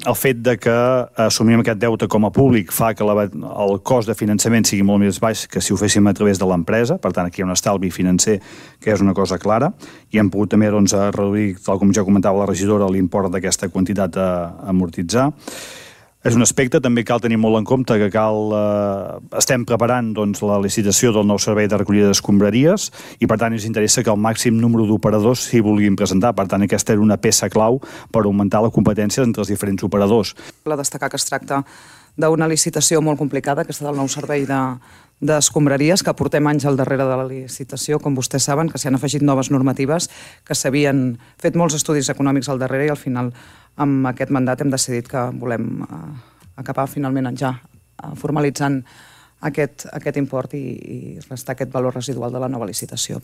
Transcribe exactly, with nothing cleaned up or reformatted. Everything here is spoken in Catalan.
el fet de que assumim aquest deute com a públic fa que la, el cost de finançament sigui molt més baix que si ho féssim a través de l'empresa. Per tant, aquí hi ha un estalvi financer que és una cosa clara, i hem pogut també doncs, reduir, tal com ja comentava la regidora, l'import d'aquesta quantitat a, a amortitzar. És un aspecte, també cal tenir molt en compte que cal, eh, estem preparant doncs, la licitació del nou servei de recollida d'escombraries i per tant ens interessa que el màxim número d'operadors s'hi vulguin presentar. Per tant, aquesta era una peça clau per augmentar la competència entre els diferents operadors. La destacar que es tracta d'una licitació molt complicada, aquesta del nou servei de, d'escombraries, que portem anys al darrere de la licitació, com vostès saben, que s'hi han afegit noves normatives, que s'havien fet molts estudis econòmics al darrere i al final amb aquest mandat hem decidit que volem eh, acabar finalment ja eh, formalitzant aquest, aquest import i, i restar aquest valor residual de la nova licitació.